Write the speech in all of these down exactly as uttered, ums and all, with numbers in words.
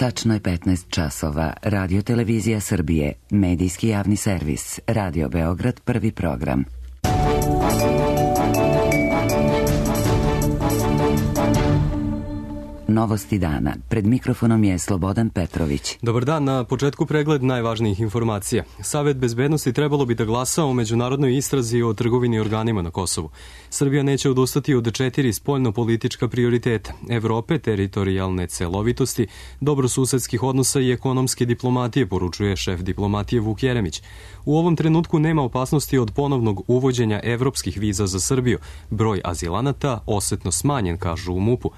Tačno je petnaest časova. Radio Televizija Srbije, medijski javni servis, Radio Beograd, prvi program. Novosti dana. Pred mikrofonom je Slobodan Petrović. Dobar dan, na početku pregled najvažnijih informacija. Savet bezbednosti trebalo bi da glasa o međunarodnoj istrazi o trgovini organima na Kosovu. Srbija neće odustati od četiri spoljno-politička prioriteta: Evrope, teritorijalne celovitosti, dobrosusedskih odnosa i ekonomske diplomatije, poručuje šef diplomatije Vuk Jeremić. U ovom trenutku nema opasnosti od ponovnog uvođenja evropskih viza za Srbiju. Broj azilanata osetno smanjen, kažu u MUP-u.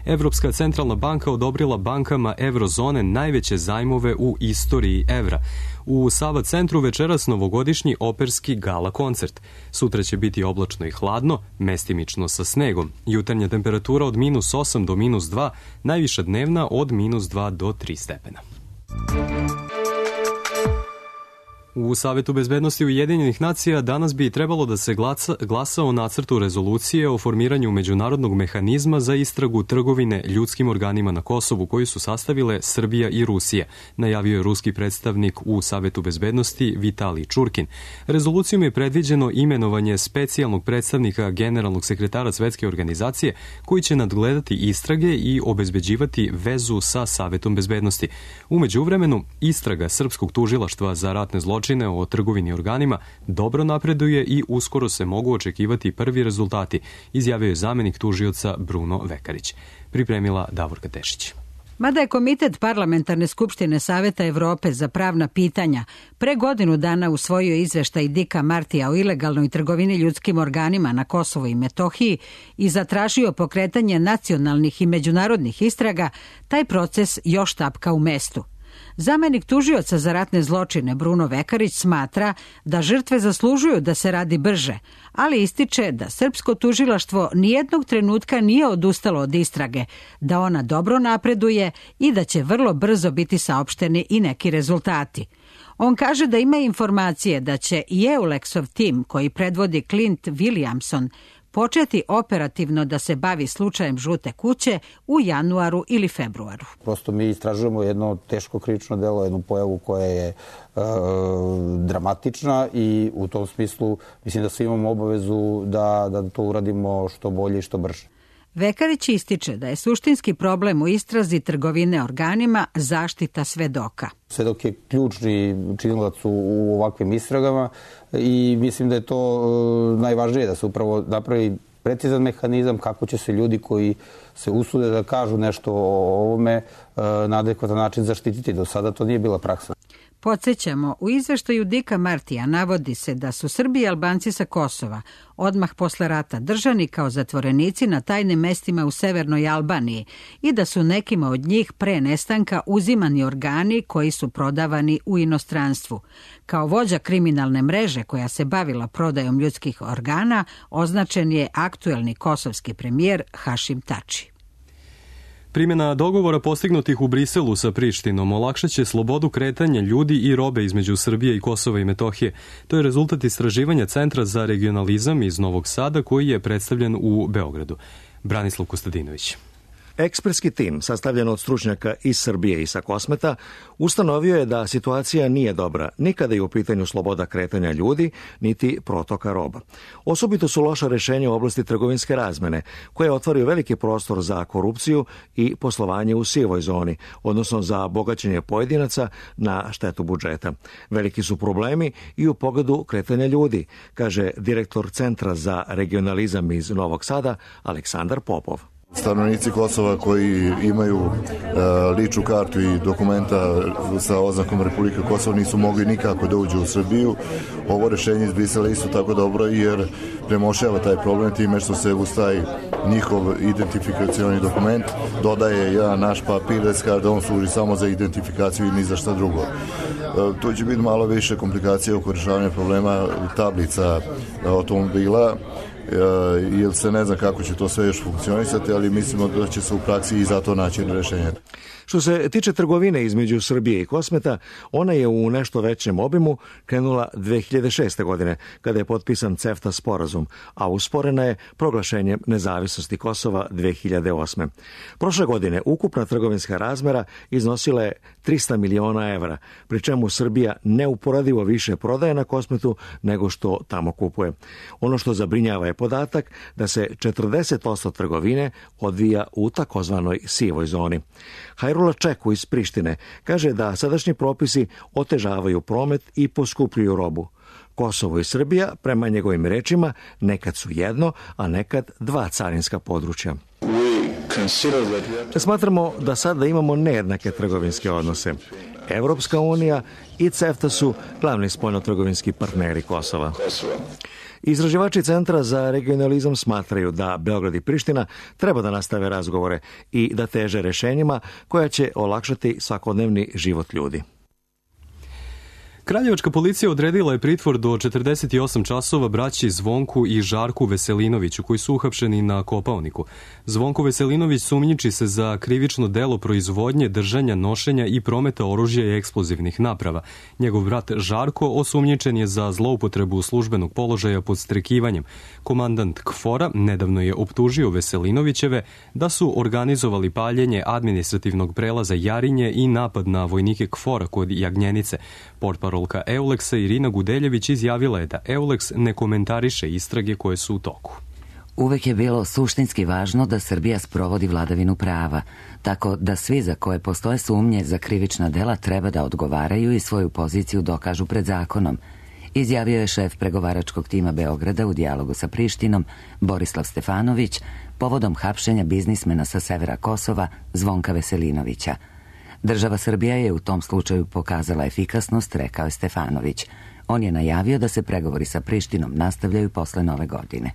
Evropska centralna banka odobrila bankama eurozone najveće zajmove u istoriji evra. U Sava centru večeras novogodišnji operski gala koncert. Sutra će biti oblačno i hladno, mestimično sa snegom. Jutarnja temperatura od minus osam do minus dva, najviša dnevna od minus dva do tri stepena. U Savetu bezbednosti Ujedinjenih nacija danas bi trebalo da se glasa, glasa o nacrtu rezolucije o formiranju međunarodnog mehanizma za istragu trgovine ljudskim organima na Kosovu, koju su sastavile Srbija i Rusija, najavio je ruski predstavnik u Savetu bezbednosti Vitalij Čurkin. Rezolucijom je predviđeno imenovanje specijalnog predstavnika generalnog sekretara Svetske organizacije, koji će nadgledati istrage i obezbeđivati vezu sa Savetom bezbednosti. U međuvremenu, istraga Srpskog tužilaštva za ratne zločine o trgovini organima dobro napreduje i uskoro se mogu očekivati prvi rezultati, izjavio je zamenik tužioca Bruno Vekarić. Pripremila Davorka Tešić. Mada je Komitet Parlamentarne skupštine Saveta Evrope za pravna pitanja pre godinu dana usvojio izveštaj Dicka Martija o ilegalnoj trgovini ljudskim organima na Kosovu i Metohiji i zatražio pokretanje nacionalnih i međunarodnih istraga, taj proces još tapka u mestu. Zamenik tužioca za ratne zločine Bruno Vekarić smatra da žrtve zaslužuju da se radi brže, ali ističe da srpsko tužilaštvo nijednog trenutka nije odustalo od istrage, da ona dobro napreduje i da će vrlo brzo biti saopšteni i neki rezultati. On kaže da ima informacije da će i EULEX-ov tim, koji predvodi Clint Williamson, početi operativno da se bavi slučajem Žute kuće u januaru ili februaru. Prosto mi istražujemo jedno teško krivično delo, jednu pojavu koja je e, dramatična i u tom smislu mislim da svi imamo obavezu da, da to uradimo što bolje i što brže. Vekarić ističe da je suštinski problem u istrazi trgovine organima zaštita svedoka. Svedok je ključni činilac u ovakvim istragama i mislim da je to e, najvažnije, da se upravo napravi precizan mehanizam kako će se ljudi koji se usude da kažu nešto o ovome e, na adekvatan način zaštititi. Do sada to nije bila praksa. Podsjećamo, u izveštaju Dicka Martija navodi se da su Srbi i Albanci sa Kosova odmah posle rata držani kao zatvorenici na tajnim mestima u severnoj Albaniji i da su nekima od njih pre nestanka uzimani organi koji su prodavani u inostranstvu. Kao vođa kriminalne mreže koja se bavila prodajom ljudskih organa označen je aktuelni kosovski premijer Hašim Tači. Primjena dogovora postignutih u Briselu sa Prištinom olakšaće slobodu kretanja ljudi i robe između Srbije i Kosova i Metohije. To je rezultat istraživanja Centra za regionalizam iz Novog Sada koji je predstavljen u Beogradu. Branislav Kostadinović. Ekspertski tim, sastavljen od stručnjaka iz Srbije i sa Kosmeta, ustanovio je da situacija nije dobra ni kada je u pitanju sloboda kretanja ljudi, niti protoka roba. Osobito su loša rešenja u oblasti trgovinske razmene, koje otvaraju veliki prostor za korupciju i poslovanje u sivoj zoni, odnosno za bogaćenje pojedinaca na štetu budžeta. Veliki su problemi i u pogledu kretanja ljudi, kaže direktor Centra za regionalizam iz Novog Sada, Aleksandar Popov. Stanovnici Kosova koji imaju e, ličnu kartu i dokumenta sa oznakom Republike Kosovo nisu mogli nikako da uđu u Srbiju. Ovo rešenje iz Brisela isto tako dobro jer premošava taj problem time što se uz taj njihov identifikacioni dokument dodaje jedan naš papir da on služi samo za identifikaciju i ni za šta drugo. E, to će biti malo više komplikacija oko rešavanja problema tablica automobila, jer se ne zna kako će to sve još funkcionisati, ali mislimo da će se u praksi i za to naći rešenje. Što se tiče trgovine između Srbije i Kosmeta, ona je u nešto većem obimu krenula dve hiljade šeste. godine, kada je potpisan CEFTA sporazum, a usporena je proglašenjem nezavisnosti Kosova dve hiljade osme. Prošle godine ukupna trgovinska razmera iznosila je trista miliona evra, pri čemu Srbija neuporadivo više prodaje na Kosmetu nego što tamo kupuje. Ono što zabrinjava je podatak da se četrdeset posto trgovine odvija u takozvanoj sivoj zoni. Hajrula Čeku iz Prištine kaže da sadašnji propisi otežavaju promet i poskupljuju robu. Kosovo i Srbija, prema njegovim rečima, nekad su jedno, a nekad dva carinska područja. Smatramo da sada imamo nejednake trgovinske odnose. Evropska unija i CEFTA su glavni spoljnotrgovinski partneri Kosova. Izraživači Centra za regionalizam smatraju da Beograd i Priština treba da nastave razgovore i da teže rešenjima koja će olakšati svakodnevni život ljudi. Kraljevačka policija odredila je pritvor do četrdeset osam časova braći Zvonku i Žarku Veselinoviću, koji su uhapšeni na Kopaoniku. Zvonko Veselinović sumnjiči se za krivično delo proizvodnje, držanja, nošenja i prometa oružja i eksplozivnih naprava. Njegov brat Žarko osumnjičen je za zloupotrebu službenog položaja pod strekivanjem. Komandant KFOR-a nedavno je optužio Veselinovićeve da su organizovali paljenje administrativnog prelaza Jarinje i napad na vojnike KFOR-a kod Jagnjenice. Portparolka Euleksa Irina Gudeljević izjavila je da Euleks ne komentariše istrage koje su u toku. Uvek je bilo suštinski važno da Srbija sprovodi vladavinu prava, tako da svi za koje postoje sumnje za krivična dela treba da odgovaraju i svoju poziciju dokažu pred zakonom, izjavio je šef pregovaračkog tima Beograda u dijalogu sa Prištinom Borislav Stefanović povodom hapšenja biznismena sa severa Kosova Zvonka Veselinovića. Država Srbija je u tom slučaju pokazala efikasnost, rekao je Stefanović. On je najavio da se pregovori sa Prištinom nastavljaju posle nove godine.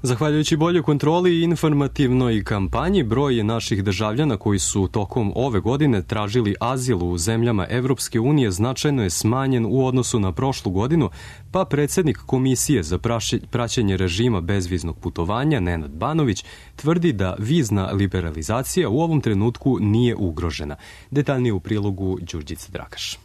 Zahvaljujući boljoj kontroli i informativnoj kampanji, broj naših državljana koji su tokom ove godine tražili azil u zemljama Evropske unije značajno je smanjen u odnosu na prošlu godinu, pa predsjednik Komisije za praćenje režima bezviznog putovanja, Nenad Banović, tvrdi da vizna liberalizacija u ovom trenutku nije ugrožena. Detaljnije u prilogu Đurđice Drakaš.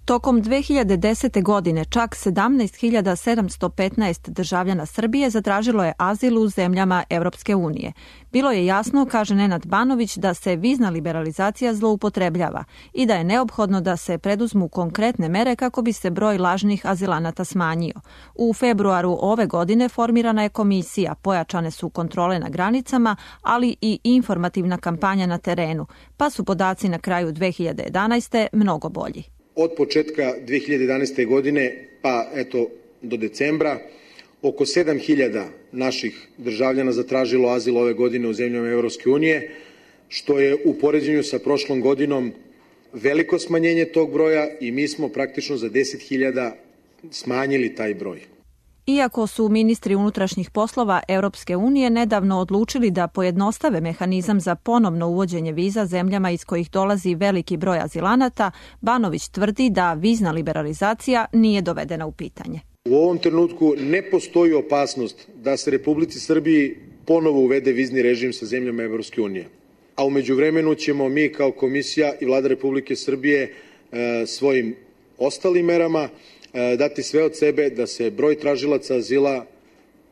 Tokom dve hiljade desete. godine čak sedamnaest hiljada sedamsto petnaest državljana Srbije zatražilo je azil u zemljama Evropske unije. Bilo je jasno, kaže Nenad Banović, da se vizna liberalizacija zloupotrebljava i da je neophodno da se preduzmu konkretne mere kako bi se broj lažnih azilanata smanjio. U februaru ove godine formirana je komisija, pojačane su kontrole na granicama, ali i informativna kampanja na terenu, pa su podaci na kraju dve hiljade jedanaeste. mnogo bolji. Od početka dve hiljade jedanaeste. godine pa eto do decembra oko sedam hiljada naših državljana zatražilo azil ove godine u zemljama Evropske unije, što je u poređenju sa prošlom godinom veliko smanjenje tog broja i mi smo praktično za deset hiljada smanjili taj broj. Iako su ministri unutrašnjih poslova Evropske unije nedavno odlučili da pojednostave mehanizam za ponovno uvođenje viza zemljama iz kojih dolazi veliki broj azilanata, Banović tvrdi da vizna liberalizacija nije dovedena u pitanje. U ovom trenutku ne postoji opasnost da se Republici Srbiji ponovo uvede vizni režim sa zemljama Evropske unije. A u međuvremenu ćemo mi kao komisija i Vlada Republike Srbije e, svojim ostalim merama dati sve od sebe da se broj tražilaca azila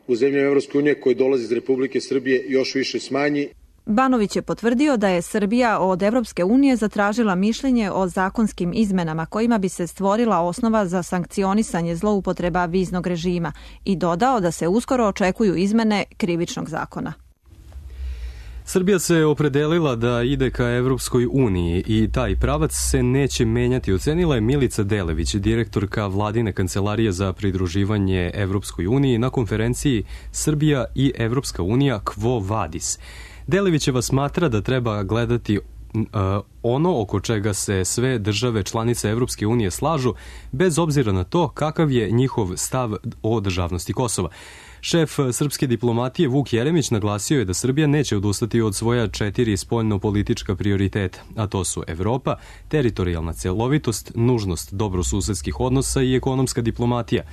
u zemljama Evropske unije koji dolazi iz Republike Srbije još više smanji. Banović je potvrdio da je Srbija od Evropske unije zatražila mišljenje o zakonskim izmenama kojima bi se stvorila osnova za sankcionisanje zloupotreba viznog režima i dodao da se uskoro očekuju izmene krivičnog zakona. Srbija se opredelila da ide ka Evropskoj uniji i taj pravac se neće menjati, ocenila je Milica Delević, direktorka Vladine kancelarije za pridruživanje Evropskoj uniji na konferenciji Srbija i Evropska unija Quo Vadis. Delevićeva smatra da treba gledati uh, ono oko čega se sve države članice Evropske unije slažu, bez obzira na to kakav je njihov stav o državnosti Kosova. Šef srpske diplomatije Vuk Jeremić naglasio je da Srbija neće odustati od svoja četiri spoljno-politička prioriteta, a to su Evropa, teritorijalna celovitost, nužnost dobrosusedskih odnosa i ekonomska diplomatija.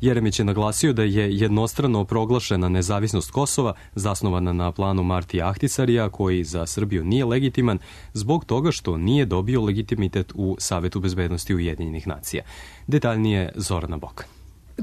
Jeremić je naglasio da je jednostrano proglašena nezavisnost Kosova, zasnovana na planu Martija Ahtisarija, koji za Srbiju nije legitiman zbog toga što nije dobio legitimitet u Savetu bezbednosti Ujedinjenih nacija. Detaljnije Zorana Bokan.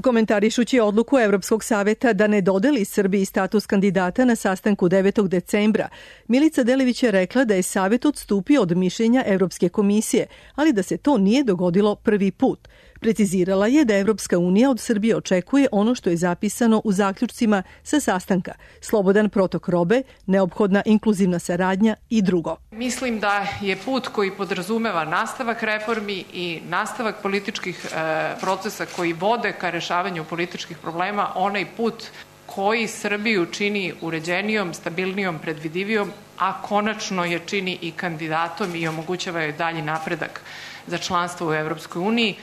Komentarišući odluku Evropskog saveta da ne dodeli Srbiji status kandidata na sastanku devetog decembra, Milica Delević je rekla da je Savet odstupio od mišljenja Evropske komisije, ali da se to nije dogodilo prvi put. Precizirala je da Evropska unija od Srbije očekuje ono što je zapisano u zaključcima sa sastanka, slobodan protok robe, neophodna inkluzivna saradnja i drugo. Mislim da je put koji podrazumeva nastavak reformi i nastavak političkih e, procesa koji vode ka rešavanju političkih problema, onaj put koji Srbiju čini uređenijom, stabilnijom, predvidivijom, a konačno je čini i kandidatom i omogućava joj dalji napredak za članstvo u Evropskoj uniji.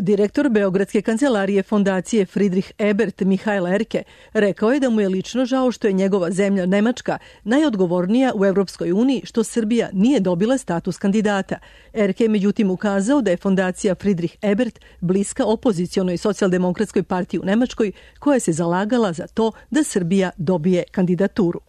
Direktor Beogradske kancelarije fondacije Friedrich Ebert Mihael Erke rekao je da mu je lično žao što je njegova zemlja Nemačka najodgovornija u Evropskoj uniji što Srbija nije dobila status kandidata. Erke je međutim ukazao da je fondacija Friedrich Ebert bliska opozicionoj socijaldemokratskoj partiji u Nemačkoj koja se zalagala za to da Srbija dobije kandidaturu.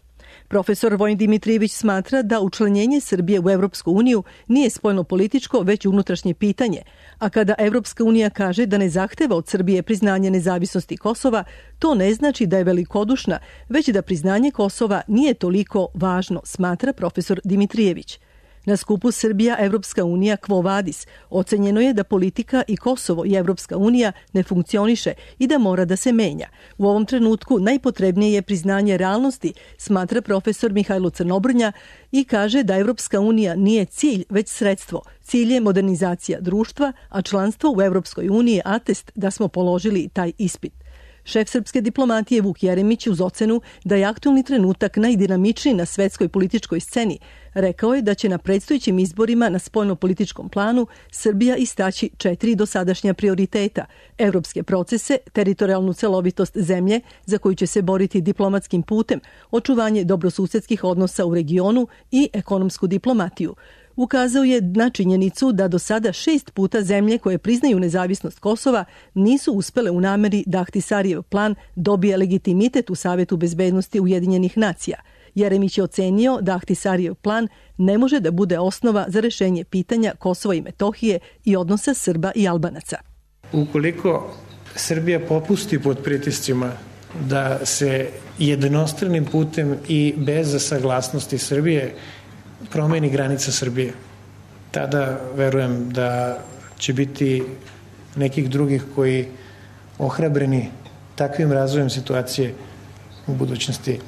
Profesor Vojin Dimitrijević smatra da učlanjenje Srbije u Evropsku uniju nije spoljno-političko, već unutrašnje pitanje, a kada Evropska unija kaže da ne zahteva od Srbije priznanje nezavisnosti Kosova, to ne znači da je velikodušna, već da priznanje Kosova nije toliko važno, smatra profesor Dimitrijević. Na skupu Srbija Evropska unija Quo Vadis ocenjeno je da politika i Kosovo i Evropska unija ne funkcioniše i da mora da se menja. U ovom trenutku najpotrebnije je priznanje realnosti, smatra profesor Mihajlo Crnobrnja i kaže da Evropska unija nije cilj, već sredstvo. Cilj je modernizacija društva, a članstvo u Evropskoj uniji je atest da smo položili taj ispit. Šef srpske diplomatije Vuk Jeremić uz ocenu da je aktualni trenutak najdinamičniji na svetskoj političkoj sceni, rekao je da će na predstojećim izborima na spoljno-političkom planu Srbija istaći četiri dosadašnja prioriteta: evropske procese, teritorijalnu celovitost zemlje za koju će se boriti diplomatskim putem, očuvanje dobrosusedskih odnosa u regionu i ekonomsku diplomatiju. Ukazao je na činjenicu da do sada šest puta zemlje koje priznaju nezavisnost Kosova nisu uspele u nameri da Ahtisarijev plan dobije legitimitet u Savetu bezbednosti Ujedinjenih nacija. Jeremić je ocenio da Ahtisarijev plan ne može da bude osnova za rešenje pitanja Kosova i Metohije i odnosa Srba i Albanaca. Ukoliko Srbija popusti pod pritiscima da se jednostranim putem i bez saglasnosti Srbije promeni granica Srbije, tada verujem da će biti nekih drugih koji ohrabreni takvim razvojem situacije u budućnosti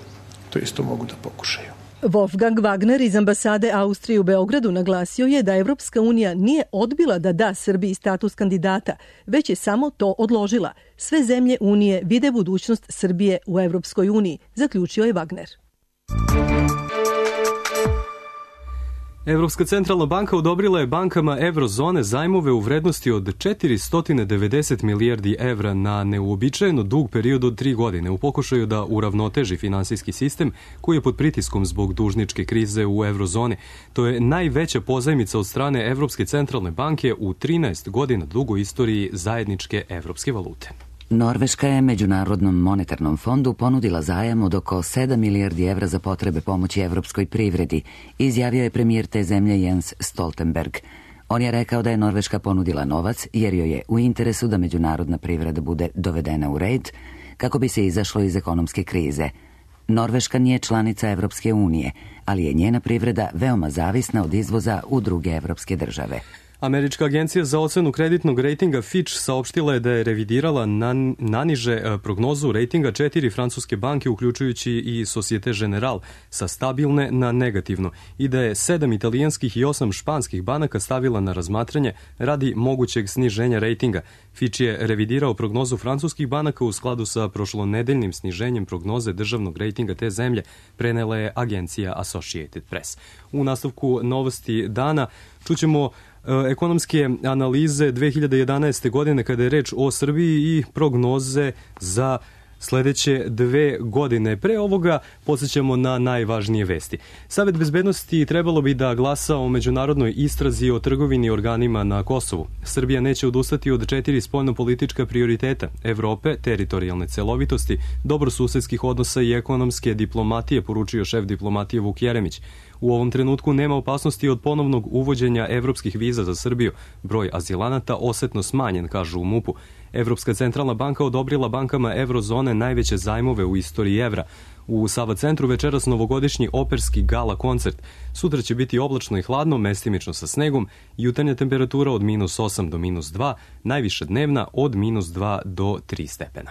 to isto mogu da pokušaju. Wolfgang Wagner iz ambasade Austrije u Beogradu naglasio je da Evropska unija nije odbila da da Srbiji status kandidata, već je samo to odložila. Sve zemlje Unije vide budućnost Srbije u Evropskoj uniji, zaključio je Wagner. Evropska centralna banka odobrila je bankama Evrozone zajmove u vrednosti od četiristo devedeset milijardi evra na neuobičajeno dug period od tri godine u pokušaju da uravnoteži finansijski sistem koji je pod pritiskom zbog dužničke krize u Evrozoni. To je najveća pozajmica od strane Evropske centralne banke u trinaest godina dugoj istoriji zajedničke evropske valute. Norveška je Međunarodnom monetarnom fondu ponudila zajam od oko sedam milijardi evra za potrebe pomoći evropskoj privredi, izjavio je premijer te zemlje Jens Stoltenberg. On je rekao da je Norveška ponudila novac jer joj je u interesu da međunarodna privreda bude dovedena u red kako bi se izašlo iz ekonomske krize. Norveška nije članica Evropske unije, ali je njena privreda veoma zavisna od izvoza u druge evropske države. Američka agencija za ocenu kreditnog rejtinga Fitch saopštila je da je revidirala na, naniže prognozu rejtinga četiri francuske banke, uključujući i Societe Generale, sa stabilne na negativno i da je sedam italijanskih i osam španskih banaka stavila na razmatranje radi mogućeg sniženja rejtinga. Fitch je revidirao prognozu francuskih banaka u skladu sa prošlonedeljnim sniženjem prognoze državnog rejtinga te zemlje, prenela je agencija Associated Press. U nastavku novosti dana čućemo ekonomske analize dve hiljade jedanaeste. godine kada je reč o Srbiji i prognoze za sledeće dve godine. Pre ovoga podsjećamo na najvažnije vesti. Savet bezbednosti trebalo bi da glasa o međunarodnoj istrazi o trgovini organima na Kosovu. Srbija neće odustati od četiri spoljnopolitička prioriteta: Evrope, teritorijalne celovitosti, dobrosusedskih odnosa i ekonomske diplomatije, poručio šef diplomatije Vuk Jeremić. U ovom trenutku nema opasnosti od ponovnog uvođenja evropskih viza za Srbiju. Broj azilanata osetno smanjen, kažu u MUP-u. Evropska centralna banka odobrila bankama eurozone najveće zajmove u istoriji evra. U Sava centru večeras novogodišnji operski gala koncert. Sutra će biti oblačno i hladno, mestimično sa snegom, jutarnja temperatura od minus osam do minus dva, najviša dnevna od minus dva do tri stepena.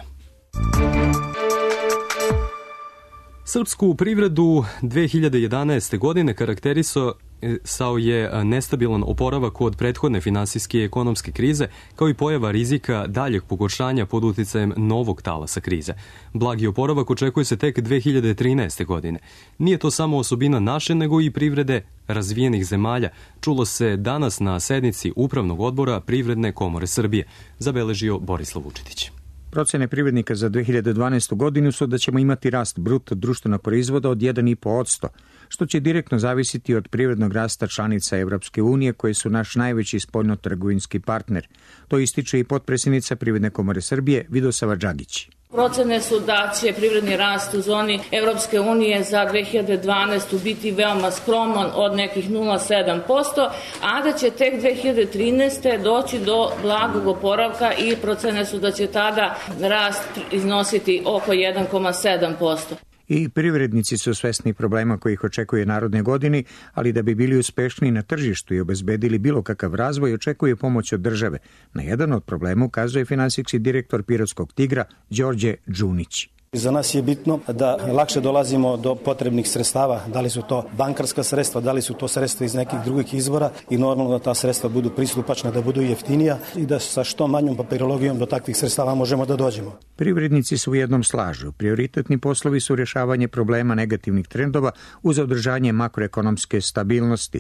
Srpsku privredu dve hiljade jedanaeste. godine karakterisao je nestabilan oporavak od prethodne finansijske i ekonomske krize, kao i pojava rizika daljeg pogoršanja pod uticajem novog talasa krize. Blagi oporavak očekuje se tek dve hiljade trinaeste. godine. Nije to samo osobina naše, nego i privrede razvijenih zemalja, čulo se danas na sednici Upravnog odbora Privredne komore Srbije, zabeležio Borislav Vučetić. Procene privrednika za dve hiljade dvanaestu. godinu su da ćemo imati rast bruto društvenog proizvoda od jedan i po posto, što će direktno zavisiti od privrednog rasta članica Evropske unije, koje su naš najveći spoljnotrgovinski partner. To ističe i potpredsjednica Privredne komore Srbije Vidosava Đagić. Procene su da će privredni rast u zoni Evropske unije za dve hiljade dvanaestu. biti veoma skroman od nekih nula zarez sedam posto, a da će tek dve hiljade trinaeste. doći do blagog oporavka i procene su da će tada rast iznositi oko jedan zarez sedam posto. I privrednici su svesni problema koji ih očekuje narodne godine, ali da bi bili uspešni na tržištu i obezbedili bilo kakav razvoj, očekuje pomoć od države. Na jedan od problema ukazuje finansijski direktor Pirotskog Tigra Đorđe Đunić. Za nas je bitno da lakše dolazimo do potrebnih sredstava, da li su to bankarska sredstva, da li su to sredstva iz nekih drugih izvora i normalno da ta sredstva budu pristupačna, da budu jeftinija i da sa što manjom papirologijom do takvih sredstava možemo da dođemo. Privrednici su u jednom slažu. Prioritetni poslovi su rješavanje problema negativnih trendova uz održanje makroekonomske stabilnosti.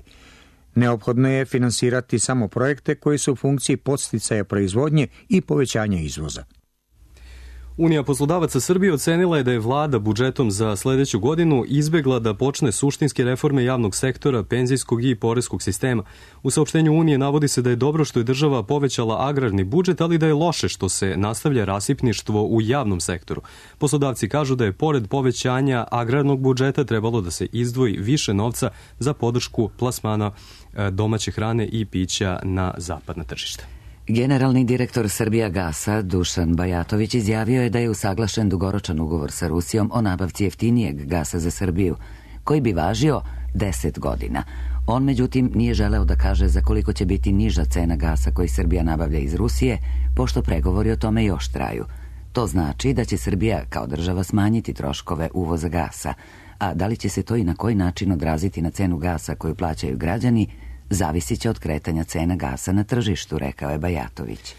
Neophodno je finansirati samo projekte koji su u funkciji podsticaja proizvodnje i povećanja izvoza. Unija poslodavaca Srbije ocenila je da je vlada budžetom za sledeću godinu izbegla da počne suštinske reforme javnog sektora, penzijskog i poreskog sistema. U saopštenju Unije navodi se da je dobro što je država povećala agrarni budžet, ali da je loše što se nastavlja rasipništvo u javnom sektoru. Poslodavci kažu da je pored povećanja agrarnog budžeta trebalo da se izdvoji više novca za podršku plasmana domaće hrane i pića na zapadna tržišta. Generalni direktor Srbijagasa Dušan Bajatović izjavio je da je usaglašen dugoročan ugovor sa Rusijom o nabavci jeftinijeg gasa za Srbiju, koji bi važio deset godina. On, međutim, nije želeo da kaže za koliko će biti niža cena gasa koji Srbija nabavlja iz Rusije, pošto pregovori o tome još traju. To znači da će Srbija kao država smanjiti troškove uvoza gasa, a da li će se to i na koji način odraziti na cenu gasa koju plaćaju građani, zavisit će od kretanja cena gasa na tržištu, rekao je Bajatović.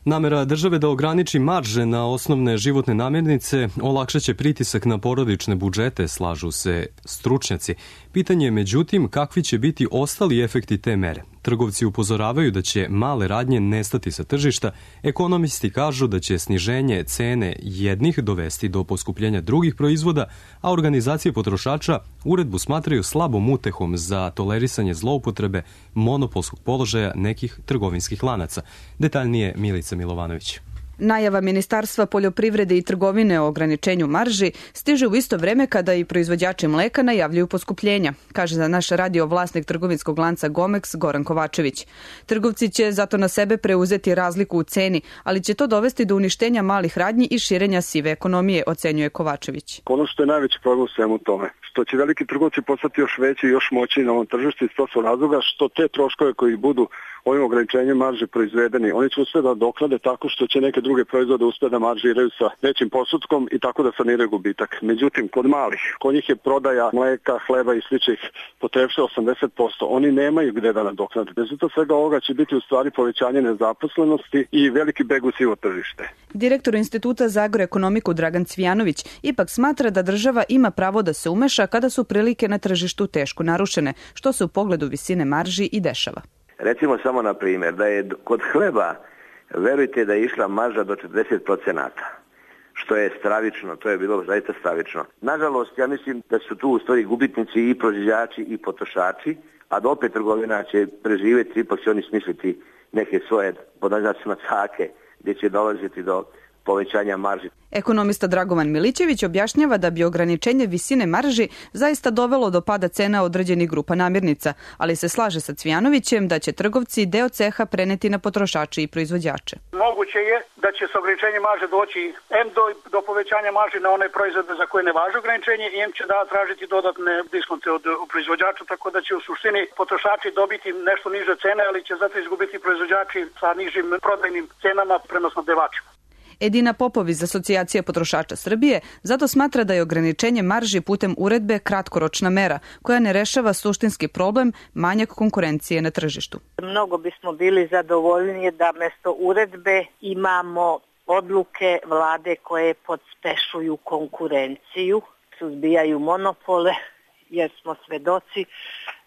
Namera države da ograniči marže na osnovne životne namirnice olakšaće pritisak na porodične budžete, slažu se stručnjaci. Pitanje je međutim kakvi će biti ostali efekti te mere. Trgovci upozoravaju da će male radnje nestati sa tržišta, ekonomisti kažu da će sniženje cene jednih dovesti do poskupljenja drugih proizvoda, a organizacije potrošača uredbu smatraju slabom utehom za tolerisanje zloupotrebe monopolskog položaja nekih trgovinskih lanaca. Detaljnije Milica Milovanović. Najava Ministarstva poljoprivrede i trgovine o ograničenju marži stiže u isto vreme kada i proizvođači mleka najavljuju poskupljenja, kaže za naš radio vlasnik trgovinskog lanca Gomex Goran Kovačević. Trgovci će zato na sebe preuzeti razliku u ceni, ali će to dovesti do uništenja malih radnji i širenja sive ekonomije, ocenjuje Kovačević. Ono što je najveći problem u svemu tome, što će veliki trgovci postati još veći i još moćniji na ovom tržištu, iz to su razloga što te troškove koji budu ovim ograničenjem marže proizvedeni, oni će uspjeti da doklade tako što će neke druge proizvode uspjeti da maržiraju sa većim posudkom i tako da saniraju gubitak. Međutim, kod malih, kod njih je prodaja mleka, hleba i sličnih potrepšava osamdeset posto. Oni nemaju gde da nadoknade. Rezultat svega ovoga će biti u stvari povećanje nezaposlenosti i veliki beg u sivo tržište. Direktor Instituta za agroekonomiku Dragan Cvijanović ipak smatra da država ima pravo da se umeša kada su prilike na tržištu teško narušene, što se u pogledu visine marži i dešava. Recimo samo na primjer da je kod hleba, verujte da je išla marža do četrdeset procenata, što je stravično, to je bilo zaista stravično. Nažalost, ja mislim da su tu u stvari gubitnici i proizvođači i potrošači, a da opet trgovina će preživjeti, ipak će oni smisliti neke svoje, pod naznacima, cake, gdje će dolaziti do povećanja marži. Ekonomista Dragovan Milićević objašnjava da bi ograničenje visine marži zaista dovelo do pada cena određenih grupa namirnica, ali se slaže sa Cvijanovićem da će trgovci deo ceha preneti na potrošače i proizvođače. Moguće je da će s ograničenjem marže doći em do, do povećanja marže na one proizvode za koje ne važi ograničenje i em će da tražiti dodatne diskonte od proizvođača, tako da će u suštini potrošači dobiti nešto niže cene, ali će zato izgubiti proizvođači sa nižim prodajnim cenama prema snabdevačima. Edina Popov iz Asocijacije potrošača Srbije zato smatra da je ograničenje marži putem uredbe kratkoročna mera koja ne rešava suštinski problem manjak konkurencije na tržištu. Mnogo bismo bili zadovoljniji da mesto uredbe imamo odluke vlade koje podspešuju konkurenciju, suzbijaju monopole, jer smo svedoci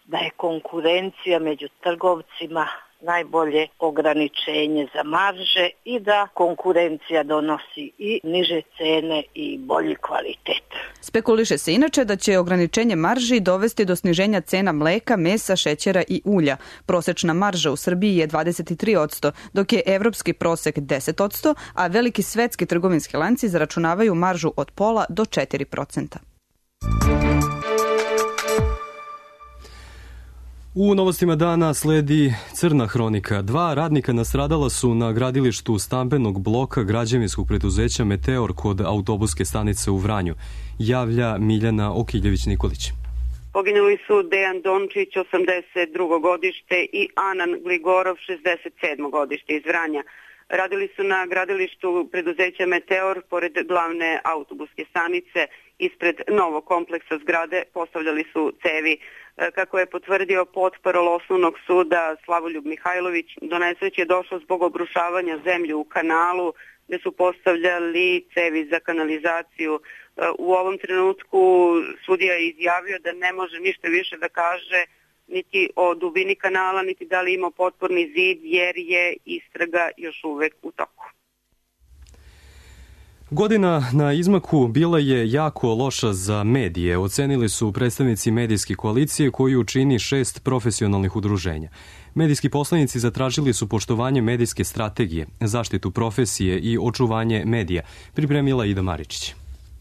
da je konkurencija među trgovcima najbolje ograničenje za marže i da konkurencija donosi i niže cene i bolji kvalitet. Spekuliše se inače da će ograničenje marži dovesti do sniženja cena mleka, mesa, šećera i ulja. Prosečna marža u Srbiji je dvadeset tri posto, dok je evropski prosek deset posto, a veliki svetski trgovinski lanci zaračunavaju maržu od pola do četiri procenta. U novostima dana sledi crna hronika. Dva radnika nastradala su na gradilištu stambenog bloka građevinskog preduzeća Meteor kod autobuske stanice u Vranju, javlja Miljana Okiljević-Nikolić. Poginuli su Dejan Dončić, osamdeset drugo godište i Anan Gligorov, šezdeset sedmo godište iz Vranja. Radili su na gradilištu preduzeća Meteor pored glavne autobuske stanice. Ispred novog kompleksa zgrade postavljali su cevi. Kako je potvrdio potparol osnovnog suda Slavoljub Mihajlović, do nesreće je došlo zbog obrušavanja zemlje u kanalu gdje su postavljali cevi za kanalizaciju. U ovom trenutku sudija je izjavio da ne može ništa više da kaže niti o dubini kanala, niti da li ima potporni zid, jer je istraga još uvek u toku. Godina na izmaku bila je jako loša za medije, ocenili su predstavnici medijske koalicije koju čini šest profesionalnih udruženja. Medijski poslanici zatražili su poštovanje medijske strategije, zaštitu profesije i očuvanje medija, pripremila Ida Maričić.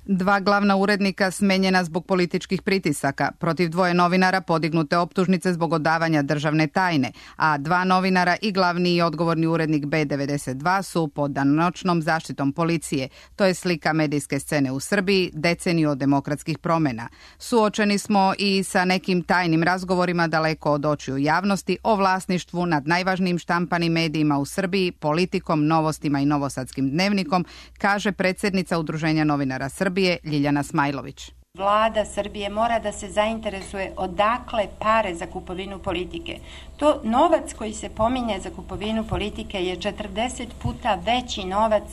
Dva glavna urednika smenjena zbog političkih pritisaka, protiv dvoje novinara podignute optužnice zbog odavanja državne tajne, a dva novinara i glavni i odgovorni urednik B devedeset dva su pod danonoćnom zaštitom policije. To je slika medijske scene u Srbiji, deceniju od demokratskih promjena. Suočeni smo i sa nekim tajnim razgovorima daleko od očiju javnosti o vlasništvu nad najvažnijim štampanim medijima u Srbiji, politikom, novostima i novosadskim dnevnikom, kaže predsjednica Udruženja novinara Srbije Ljiljana Smajlović. Vlada Srbije mora da se zainteresuje odakle pare za kupovinu politike. To novac koji se pominje za kupovinu politike je četrdeset puta veći novac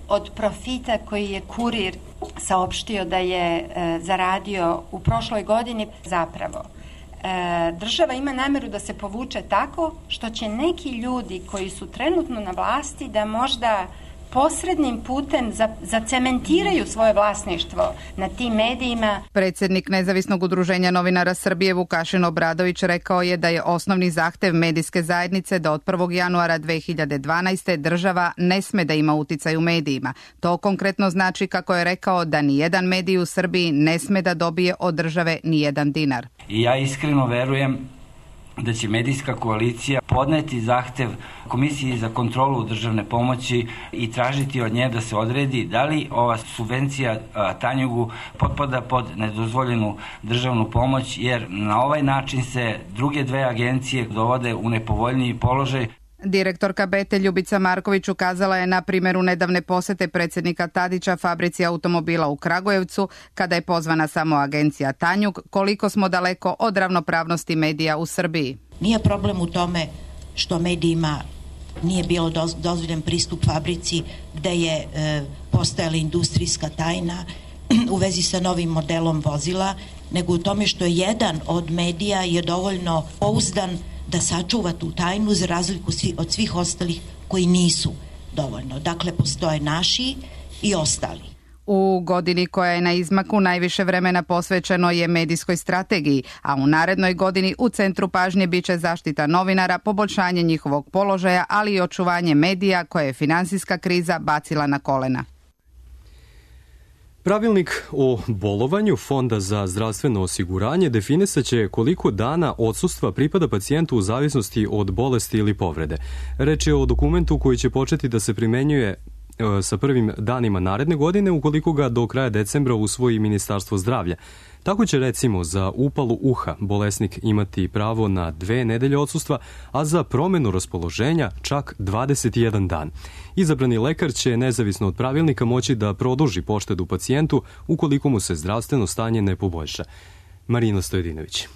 od profita koji je Kurir saopštio da je e, zaradio u prošloj godini. Zapravo, e, država ima nameru da se povuče tako što će neki ljudi koji su trenutno na vlasti da možda posrednim putem zacementiraju svoje vlasništvo na tim medijima. Predsjednik Nezavisnog udruženja novinara Srbije Vukašin Obradović rekao je da je osnovni zahtev medijske zajednice da od prvog januara dve hiljade dvanaeste. država ne sme da ima uticaj u medijima. To konkretno znači, kako je rekao, da ni jedan medij u Srbiji ne sme da dobije od države ni jedan dinar. I ja iskreno verujem da će medijska koalicija podneti zahtev Komisiji za kontrolu državne pomoći i tražiti od nje da se odredi da li ova subvencija Tanjugu potpada pod nedozvoljenu državnu pomoć, jer na ovaj način se druge dve agencije dovode u nepovoljniji položaj. Direktorka B E T-a Ljubica Marković ukazala je na primjeru nedavne posete predsjednika Tadića fabrici automobila u Kragujevcu, kada je pozvana samo agencija Tanjug, koliko smo daleko od ravnopravnosti medija u Srbiji. Nije problem u tome što medijima nije bilo dozvoljen pristup fabrici gde je e, postojala industrijska tajna u vezi sa novim modelom vozila, nego u tome što je jedan od medija je dovoljno pouzdan da sačuva tu tajnu za razliku od svih ostalih koji nisu dovoljno. Dakle, postoje naši i ostali. U godini koja je na izmaku najviše vremena posvećeno je medijskoj strategiji, a u narednoj godini u centru pažnje biće zaštita novinara, poboljšanje njihovog položaja, ali i očuvanje medija koje je finansijska kriza bacila na kolena. Pravilnik o bolovanju Fonda za zdravstveno osiguranje definisaće koliko dana odsustva pripada pacijentu u zavisnosti od bolesti ili povrede. Reč je o dokumentu koji će početi da se primenjuje sa prvim danima naredne godine ukoliko ga do kraja decembra usvoji Ministarstvo zdravlja. Tako će recimo za upalu uha bolesnik imati pravo na dve nedelje odsustva, a za promenu raspoloženja čak dvadeset jedan dan. Izabrani lekar će nezavisno od pravilnika moći da produži poštedu pacijentu ukoliko mu se zdravstveno stanje ne poboljša. Marina Stojedinović.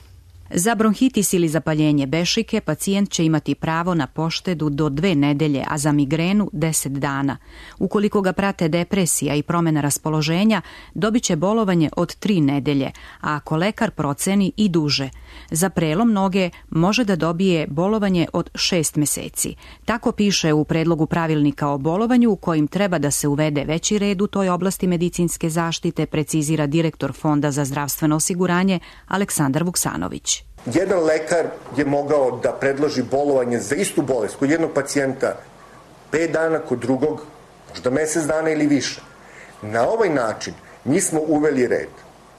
Za bronhitis ili zapaljenje bešike pacijent će imati pravo na poštedu do dve nedelje, a za migrenu deset dana. Ukoliko ga prate depresija i promjena raspoloženja, dobit će bolovanje od tri nedelje, a ako lekar proceni i duže. Za prelom noge može da dobije bolovanje od šest meseci. Tako piše u predlogu pravilnika o bolovanju u kojim treba da se uvede veći red u toj oblasti medicinske zaštite, precizira direktor Fonda za zdravstveno osiguranje Aleksandar Vuksanović. Jedan lekar je mogao da predloži bolovanje za istu bolest kod jednog pacijenta pet dana, kod drugog možda mesec dana ili više. Na ovaj način mi smo uveli red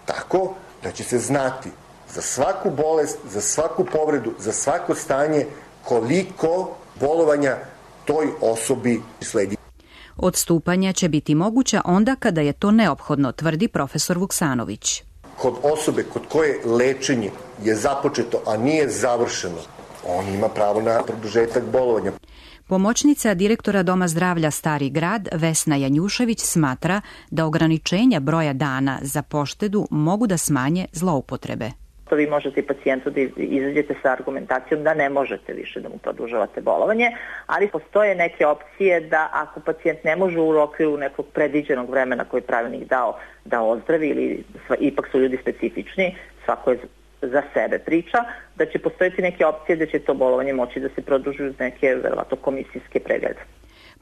tako da će se znati za svaku bolest, za svaku povredu, za svako stanje koliko bolovanja toj osobi sledi. Odstupanja će biti moguća onda kada je to neophodno, tvrdi profesor Vuksanović. Kod osobe kod koje lečenje je započeto, a nije završeno, on ima pravo na produžetak bolovanja. Pomoćnica direktora Doma zdravlja Stari grad Vesna Janjušević smatra da ograničenja broja dana za poštedu mogu da smanje zloupotrebe. Vi možete i pacijentu da izađete sa argumentacijom da ne možete više da mu produžavate bolovanje, ali postoje neke opcije da ako pacijent ne može u okviru nekog predviđenog vremena koji je pravilnik dao da ozdravi, ili ipak su ljudi specifični, svako je za sebe priča, da će postojati neke opcije da će to bolovanje moći da se produži uz neke verovatno komisijske preglede.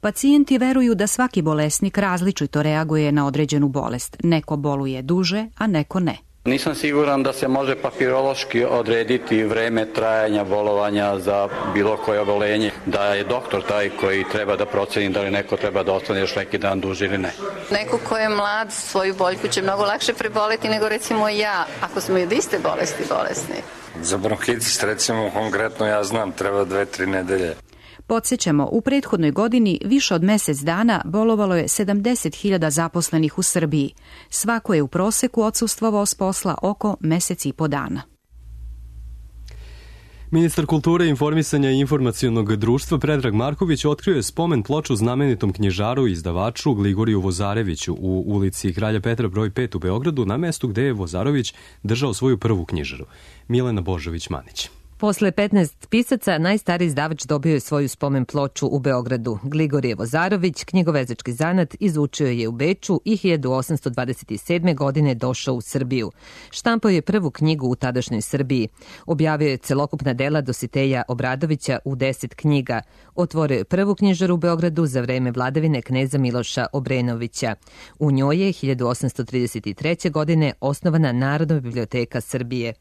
Pacijenti veruju da svaki bolesnik različito reaguje na određenu bolest. Neko boluje duže, a neko ne. Nisam siguran da se može papirološki odrediti vreme trajanja bolovanja za bilo koje obolenje, da je doktor taj koji treba da proceni da li neko treba da ostane još neki dan duže ili ne. Neko ko je mlad, svoju boljku će mnogo lakše preboleti nego recimo ja, ako smo i od iste bolesti bolesni. Za bronhitis recimo konkretno ja znam treba dve, tri nedelje. Podsjećamo, u prethodnoj godini više od mesec dana bolovalo je sedamdeset hiljada zaposlenih u Srbiji. Svako je u proseku odsustvovao s posla oko mesec i po dana. Ministar kulture, informisanja i informacionog društva Predrag Marković otkrio je spomen ploču znamenitom knjižaru i izdavaču Gligoriju Vozareviću u ulici Kralja Petra broj pet u Beogradu, na mestu gde je Vozarević držao svoju prvu knjižaru. Milena Božović-Manić. Posle petnaest pisaca, najstariji izdavač dobio je svoju spomen ploču u Beogradu. Gligorije Vozarović, knjigovezački zanat, izučio je u Beču i hiljadu osamsto dvadeset sedme. godine došao u Srbiju. Štampao je prvu knjigu u tadašnjoj Srbiji. Objavio je celokupna dela Dositeja Obradovića u deset knjiga. Otvorio je prvu knjižaru u Beogradu za vreme vladavine kneza Miloša Obrenovića. U njoj je hiljadu osamsto trideset treće. godine osnovana Narodna biblioteka Srbije.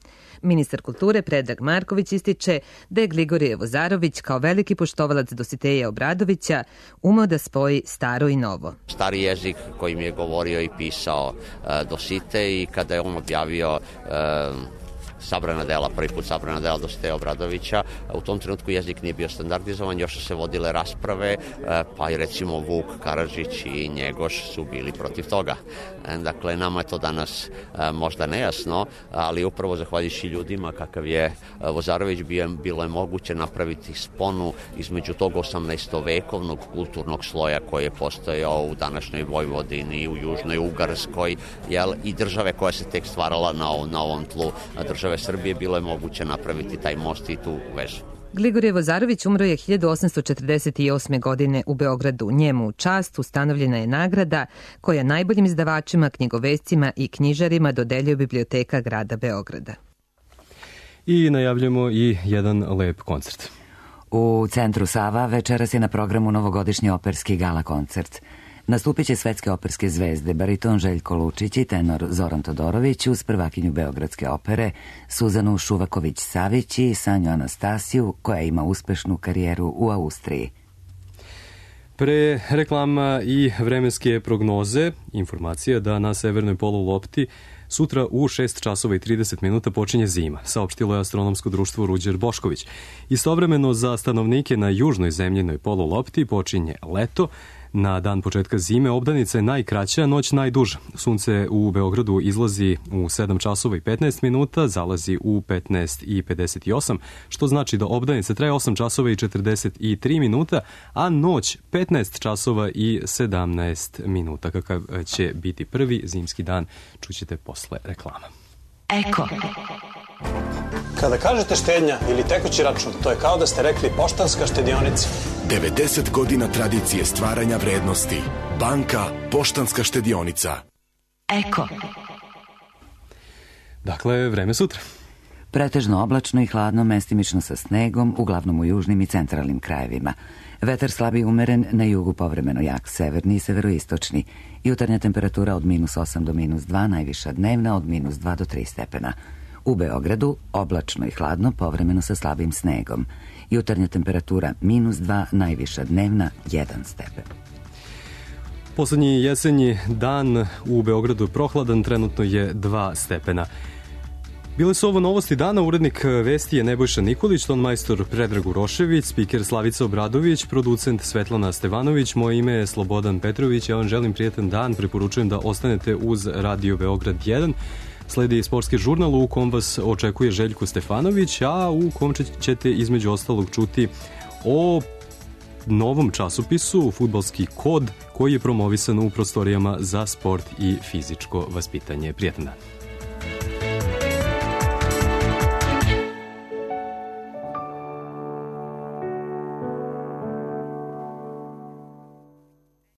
Ministar kulture Predrag Marković ističe da je Gligorije Vozarović kao veliki poštovalac Dositeja Obradovića umeo da spoji staro i novo. Stari jezik kojim je govorio i pisao uh, Dositej, i kada je on objavio uh, sabrana dela, prvi put sabrana dela Dositeja Obradovića. U tom trenutku jezik nije bio standardizovan, još su se vodile rasprave, pa i recimo Vuk Karadžić i Njegoš su bili protiv toga. Dakle, nama je to danas možda nejasno, ali upravo zahvaljujući ljudima kakav je Vozarović bio, bilo je moguće napraviti sponu između tog osamnaestovekovnog kulturnog sloja koji je postojao u današnjoj Vojvodini, u Južnoj Ugarskoj, jel, i države koja se tek stvarala na, na ovom tlu države Srbije, bilo je moguće napraviti taj most i tu vezu. Gligorije Vozarović umro je hiljadu osamsto četrdeset osme. godine u Beogradu. Njemu u čast ustanovljena je nagrada koja najboljim izdavačima, knjigovescima i knjižarima dodeljuje Biblioteka grada Beograda. I najavljamo i jedan lep koncert. U centru Sava večeras je na programu novogodišnji operski gala koncert. Nastupit će svetske operske zvezde, bariton Željko Lučić i tenor Zoran Todorović uz prvakinju Beogradske opere Suzanu Šuvaković-Savić i Sanju Anastasiju, koja ima uspešnu karijeru u Austriji. Pre reklama i vremenske prognoze, informacija da na severnoj polulopti sutra u šest časova i trideset minuta počinje zima, saopštilo je astronomsko društvo Ruđer Bošković. Istovremeno za stanovnike na južnoj zemljinoj polulopti počinje leto. Na dan početka zime obdanica je najkraća, noć najduža. Sunce u Beogradu izlazi u sedam časova i petnaest minuta, zalazi u petnaest i pedeset osam, što znači da obdanica traje osam časova i četrdeset tri minuta, a noć petnaest časova i sedamnaest minuta. Kakav će biti prvi zimski dan, čućete posle reklama. Eko. Kada kažete štednja ili tekući račun, to je kao da ste rekli Poštanska štedionica. devedeset godina tradicije stvaranja vrednosti. Banka Poštanska štedionica. Eko. Dakle, vreme sutra. Pretežno oblačno i hladno, mestimično sa snegom, uglavnom u južnim i centralnim krajevima. Vetar slabi umeren, na jugu povremeno jak, severni i severoistočni. Jutarnja temperatura od minus osam do minus dva, najviša dnevna od minus dva do tri stepena. U Beogradu oblačno i hladno, povremeno sa slabim snegom. Jutarnja temperatura minus dva, najviša dnevna jedan stepen. Poslednji jesenji dan u Beogradu prohladan, trenutno je dva stepena. Bile su ovo novosti dana, urednik vesti je Nebojša Nikolić, tonmajstor Predrag Urošević, spiker Slavica Obradović, producent Svetlana Stevanović, moje ime je Slobodan Petrović, ja vam želim prijetan dan, preporučujem da ostanete uz Radio Beograd jedan. Sledi sportski žurnal u kom vas očekuje Željko Stefanović, a u kom ćete između ostalog čuti o novom časopisu Fudbalski kod koji je promovisan u prostorijama za sport i fizičko vaspitanje. Prijetan dan.